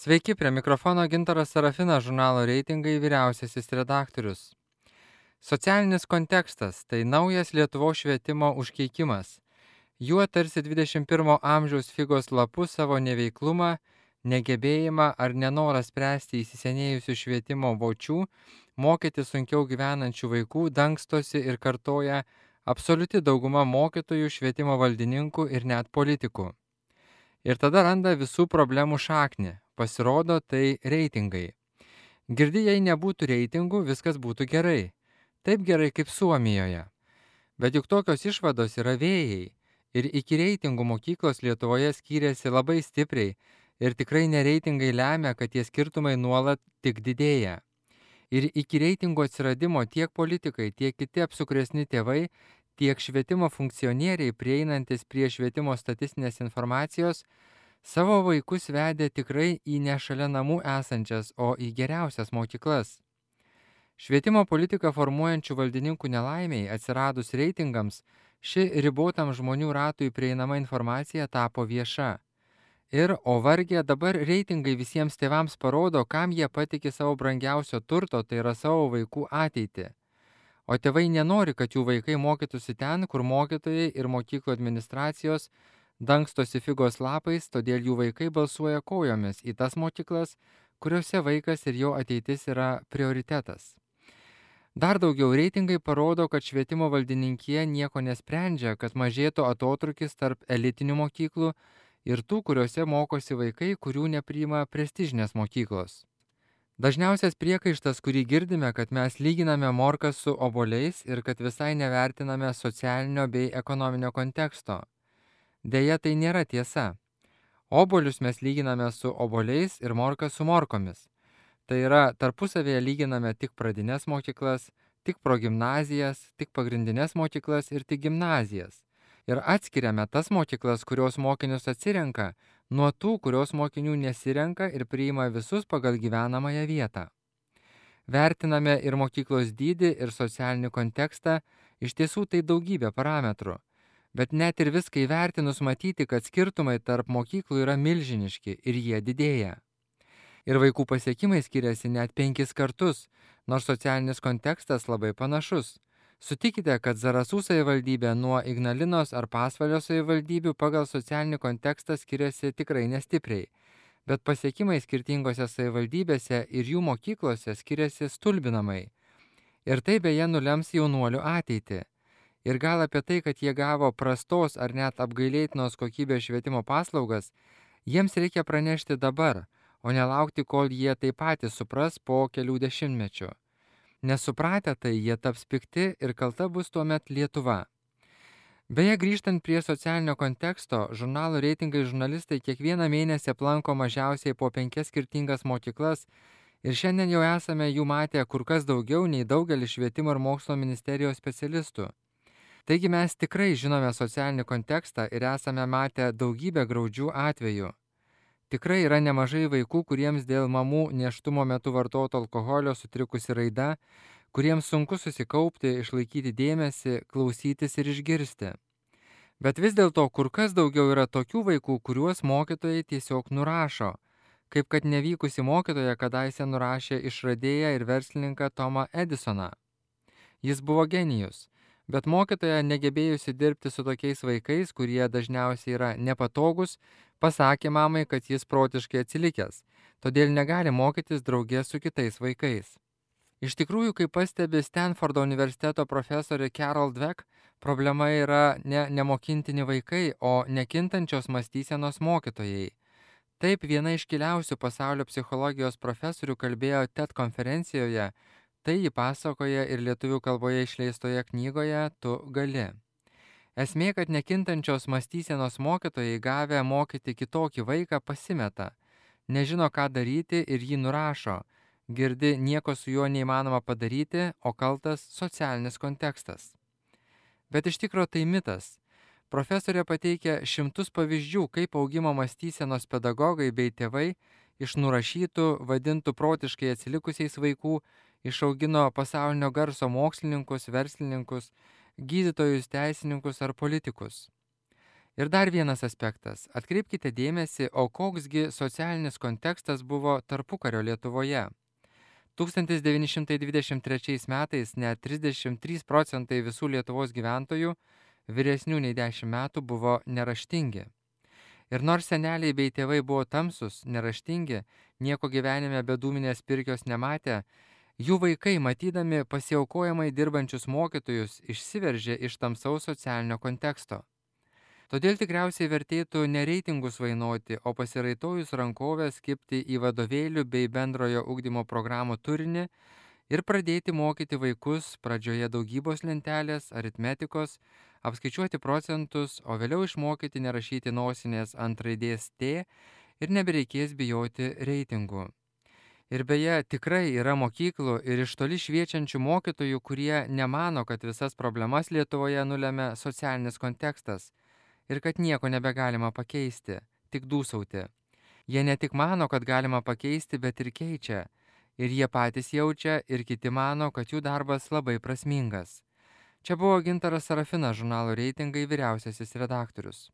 Sveiki, prie mikrofono Gintaras Serafinas, žurnalo Reitingai vyriausiasis redaktorius. Socialinis kontekstas – tai naujas Lietuvos švietimo užkeikimas. Juo tarsi 21 amžiaus figos lapu savo neveiklumą, negebėjimą ar nenorą spręsti įsisenėjusių švietimo vočių, mokyti sunkiau gyvenančių vaikų dangstosi ir kartoja absoliuti dauguma mokytojų, švietimo valdininkų ir net politikų. Ir tada randa visų problemų šaknį. Pasirodo, tai reitingai. Girdi, jei nebūtų reitingų, viskas būtų gerai. Taip gerai kaip Suomijoje. Bet juk tokios išvados yra vėjai. Ir iki reitingų mokyklos Lietuvoje skyrėsi labai stipriai. Ir tikrai nereitingai lemia, kad tie skirtumai nuolat tik didėja. Ir iki reitingų atsiradimo tiek politikai, tiek kiti apsukresni tėvai, tiek švietimo funkcionieriai prieinantis prie švietimo statistinės informacijos, savo vaikus vedė tikrai į ne šalia namų esančias, o į geriausias mokyklas. Švietimo politiką formuojančių valdininkų nelaimiai atsiradus reitingams, ši ribotam žmonių ratui prieinama informacija tapo vieša. Ir, o vargė, dabar reitingai visiems tėvams parodo, kam jie patiki savo brangiausio turto, tai yra savo vaikų ateitį. O tėvai nenori, kad jų vaikai mokytųsi ten, kur mokytojai ir mokyklų administracijos dangstosi figos lapais, todėl jų vaikai balsuoja kojomis į tas mokyklas, kuriuose vaikas ir jo ateitis yra prioritetas. Dar daugiau reitingai parodo, kad švietimo valdininkija nieko nesprendžia, kad mažėtų atotrukis tarp elitinių mokyklų ir tų, kuriuose mokosi vaikai, kurių nepriima prestižinės mokyklos. Dažniausias priekaištas, kurį girdime, kad mes lyginame morkas su obuoliais ir kad visai nevertiname socialinio bei ekonominio konteksto. Deja, tai nėra tiesa. Obuolius mes lyginame su obuoliais ir morkas su morkomis. Tai yra, tarpusavėje lyginame tik pradines mokyklas, tik progimnazijas, tik pagrindinės mokyklas ir tik gimnazijas. Ir atskiriame tas mokyklas, kurios mokinius atsirenka, nuo tų, kurios mokinių nesirenka ir priima visus pagal gyvenamąją vietą. Vertiname ir mokyklos dydį, ir socialinį kontekstą, iš tiesų tai daugybė parametrų. Bet net ir viską įvertinus matyti, kad skirtumai tarp mokyklų yra milžiniški ir jie didėja. Ir vaikų pasiekimai skiriasi net 5 kartus, nors socialinis kontekstas labai panašus. Sutikite, kad Zarasų savivaldybė nuo Ignalinos ar Pasvalio savivaldybių pagal socialinį kontekstą skiriasi tikrai nestipriai, bet pasiekimai skirtingose savivaldybėse ir jų mokyklose skiriasi stulbinamai. Ir tai beje nulems jaunuolių ateitį. Ir gal apie tai, kad jie gavo prastos ar net apgailėtinos kokybės švietimo paslaugas, jiems reikia pranešti dabar, o nelaukti, kol jie tai patys supras po kelių dešimtmečių. Nesupratę tai, jie taps pikti ir kalta bus tuomet Lietuva. Beje, grįžtant prie socialinio konteksto, žurnalo reitingai žurnalistai kiekvieną mėnesį aplanko mažiausiai po 5 skirtingas mokyklas ir šiandien jau esame jų matę kur kas daugiau nei daugelis švietimo ir mokslo ministerijos specialistų. Taigi mes tikrai žinome socialinį kontekstą ir esame matę daugybę graudžių atvejų. Tikrai yra nemažai vaikų, kuriems dėl mamų nėštumo metu vartoto alkoholio sutrikusi raida, kuriems sunku susikaupti, išlaikyti dėmesį, klausytis ir išgirsti. Bet vis dėlto kur kas daugiau yra tokių vaikų, kuriuos mokytojai tiesiog nurašo, kaip kad nevykusi mokytoja kadaise nurašė išradėją ir verslininką Tomą Edisoną. Jis buvo genijus, bet mokytoja, negebėjusi dirbti su tokiais vaikais, kurie dažniausiai yra nepatogus, pasakė mamai, kad jis protiškai atsilikęs, todėl negali mokytis draugė su kitais vaikais. Iš tikrųjų, kaip pastebi Stanfordo universiteto profesorė Carol Dweck, problema yra ne nemokintini vaikai, o nekintančios mąstysenos mokytojai. Taip, viena iškiliausių pasaulio psichologijos profesorių kalbėjo TED konferencijoje, tai ji pasakoja ir lietuvių kalboje išleistoje knygoje Tu gali. Esmė, kad nekintančios mąstysenos mokytojai gavę mokyti kitokį vaiką pasimeta, nežino ką daryti ir jį nurašo, girdi nieko su juo neįmanoma padaryti, o kaltas socialinis kontekstas. Bet iš tikro tai mitas. Profesorė pateikia šimtus pavyzdžių, kaip augimo mąstysenos pedagogai bei tėvai iš nurašytų, vadintų protiškai atsilikusiais vaikų, išaugino pasaulinio garso mokslininkus, verslininkus, gydytojus, teisininkus ar politikus. Ir dar vienas aspektas. Atkreipkite dėmesį, o koksgi socialinis kontekstas buvo tarpukario Lietuvoje. 1923 metais net 33% visų Lietuvos gyventojų vyresnių nei 10 metų buvo neraštingi. Ir nors seneliai bei tėvai buvo tamsus, neraštingi, nieko gyvenime be dūminės pirkios nematę, jų vaikai, matydami pasiaukojamai dirbančius mokytojus, išsiveržė iš tamsaus socialinio konteksto. Todėl tikriausiai vertėtų ne reitingus vainuoti, o pasiraitojus rankovės kibti į vadovėlių bei bendrojo ugdymo programų turinį ir pradėti mokyti vaikus pradžioje daugybos lentelės, aritmetikos, apskaičiuoti procentus, o vėliau išmokyti nerašyti nosinės ant raidės T ir nebereikės bijoti reitingų. Ir beje, tikrai yra mokyklų ir iš toli šviečiančių mokytojų, kurie nemano, kad visas problemas Lietuvoje nulemia socialinis kontekstas ir kad nieko nebegalima pakeisti, tik dūsauti. Jie ne tik mano, kad galima pakeisti, bet ir keičia. Ir jie patys jaučia, ir kiti mano, kad jų darbas labai prasmingas. Čia buvo Gintaras Sarafinas, žurnalo Reitingai vyriausiasis redaktorius.